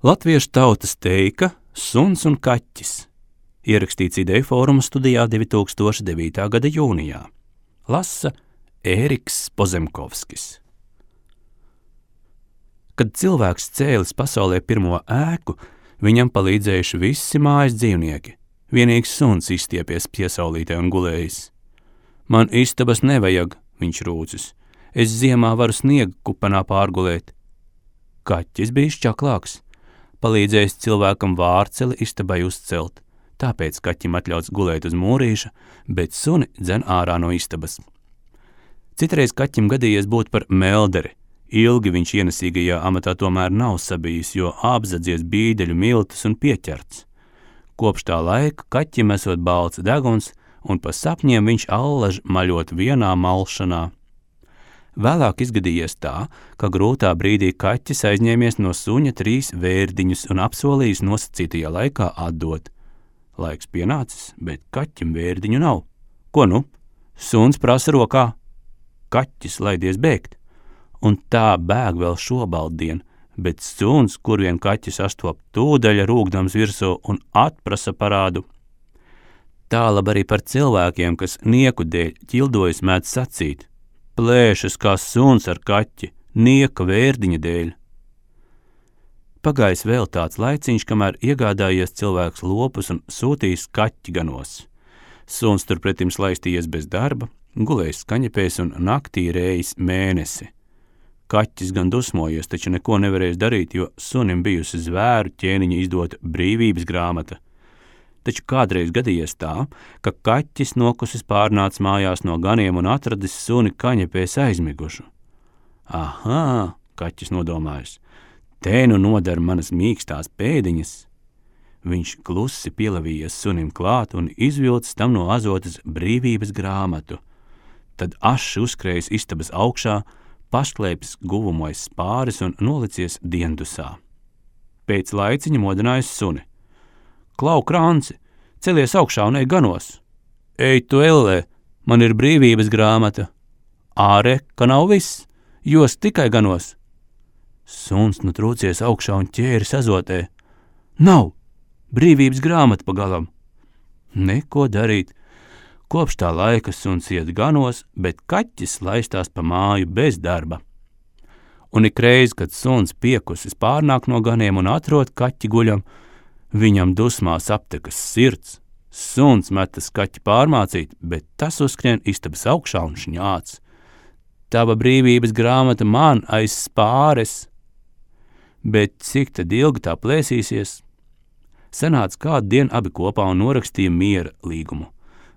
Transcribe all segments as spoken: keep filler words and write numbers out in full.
Latviešu tautas teika Suns un kaķis. Ierakstīts Ideju fóruma studijā divi tūkstoši devītā gada jūnijā. Lasa Ēriks Pozemkovskis. Kad cilvēks cēlis pasaulē pirmo ēku, viņam palīdzējuši visi mājas dzīvnieki. Vienīgs suns izstiepies piesaulītē un gulējis. Man istabas nevajag, viņš rūcis. Es ziemā varu sniega kupenā pārgulēt. Kaķis bija šķaklāks. Palīdzējis cilvēkam vārceli istabai uzcelt, tāpēc kaķim atļauts gulēt uz mūrīša, bet suni dzen ārā no istabas. Citreiz kaķim gadījies būt par melderi. Ilgi viņš ienesīgajā amatā tomēr nav sabijis, jo apzadzies bīdeļu miltus un pieķerts. Kopš tā laika kaķim esot balts deguns, un pa sapņiem viņš allaž maļot vienā malšanā. Vēlāk izgadījies tā, ka grūtā brīdī kaķis aizņēmies no suņa trīs vērdiņus un apsolījis nosacītajā laikā atdot. Laiks pienācis, bet kaķim vērdiņu nav. Ko nu? Suns prasa rokā. Kaķis laidies bēgt. Un tā bēg vēl šobaldien, bet suns, kur vien kaķis astop tūdaļa rūgdams virsū un atprasa parādu. Tālab arī par cilvēkiem, kas nieku dēļ ķildojas mēdz sacīt. Plēšas kā suns ar kaķi, nieka vērdiņa dēļ. Pagājis vēl tāds laiciņš, kamēr iegādājies cilvēks lopus un sūtījis kaķi ganos. Suns turpretim slaistījies bez darba, gulējis skaņepēs un naktī rējis mēnesi. Kaķis gan dusmojies, taču neko nevarējis darīt, jo sunim bijusi zvēru ķēniņa izdota brīvības grāmata. Taču kādreiz gadījies tā, ka kaķis nokusis pārnāc mājās no ganiem un atradis suni kaņepēs aizmigušu. Ahā, kaķis nodomājis, te nu nodara manas mīkstās pēdiņas. Viņš klusi pielavījies sunim klāt un izvilcis tam no azotas brīvības grāmatu. Tad aši uzskrējis istabas augšā, pašklēpis guvumojas spāris un nolicies diendusā. Pēc laiciņa modinājis suni. Klau, Krānci, celies augšā un ej ganos. Ej tu ellē, man ir brīvības grāmata. Āre, ka nav viss, jos tikai ganos. Suns nu trūcies augšā un ķēris azotē. Nav, brīvības grāmata pagalam. Neko darīt. Kopš tā laika suns iet ganos, bet kaķis laistās pa māju bez darba. Un ikreiz, kad suns piekusis pārnāk no ganiem un atrod kaķi guļam, viņam dusmās aptekas sirds. Suns metas kaķi pārmācīt, bet tas uzskrien istabas augšā un šņāc. Tava brīvības grāmata man aiz spāres. Bet cik tad ilgi tā plēsīsies? Sanāca kādu dienu abi kopā un norakstīja miera līgumu.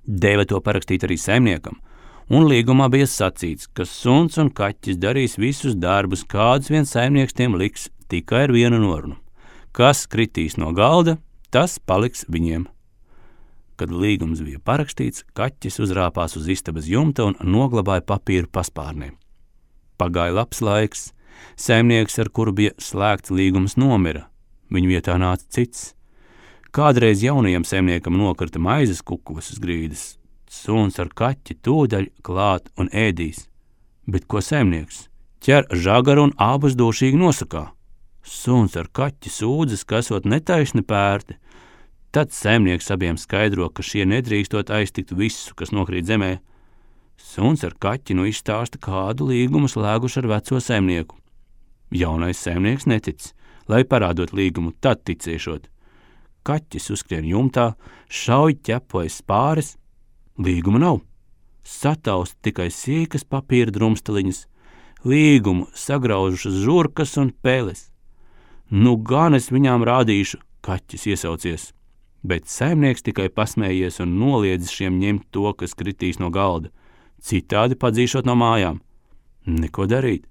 Deva to parakstīt arī saimniekam, un līgumā bija sacīts, ka suns un kaķis darīs visus darbus, kādus vien saimnieks tiem liks, tikai ar vienu norunu. Kas kritīs no galda, tas paliks viņiem. Kad līgums bija parakstīts, kaķis uzrāpās uz istabas jumta un noglabāja papīru paspārnē. Pagāja labs laiks. Saimnieks, ar kuru bija slēgts līgums, nomira. Viņu vietā nāca cits. Kādreiz jaunajam saimniekam nokrita maizes kukulis uz grīdas. Suns ar kaķi tūdaļ klāt un ēdīs. Bet ko saimnieks? Ķer žagaru un abus dūšīgi nosakā. Suns ar kaķi sūdzas, ka esot netaisni pērti. Tad saimnieks abiem skaidro, ka šie nedrīkstot aiztikt visu, kas nokrīt zemē. Suns ar kaķi nu izstāsta, kādu līgumu slēguši ar veco saimnieku. Jaunais saimnieks netic, lai parādot līgumu, tad ticēšot. Kaķis uzskrien jumtā, šauj ķepojas spāres, līguma nav. Sataust tikai sīkas papīra drumstaliņas, līgumu sagraužušas žurkas un peles. Nu gan es viņām rādīšu, kaķis iesaucies, bet saimnieks tikai pasmējies un noliedzis šiem ņemt to, kas kritīs no galda, citādi padzīšot no mājām. Neko darīt.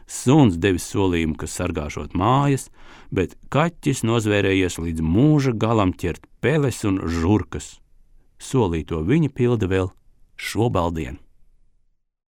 Suns devis solījumu, ka sargāšot mājas, bet kaķis nozvērējies līdz mūža galam ķert peles un žurkas. Solīto viņa pilda vēl šobaldien.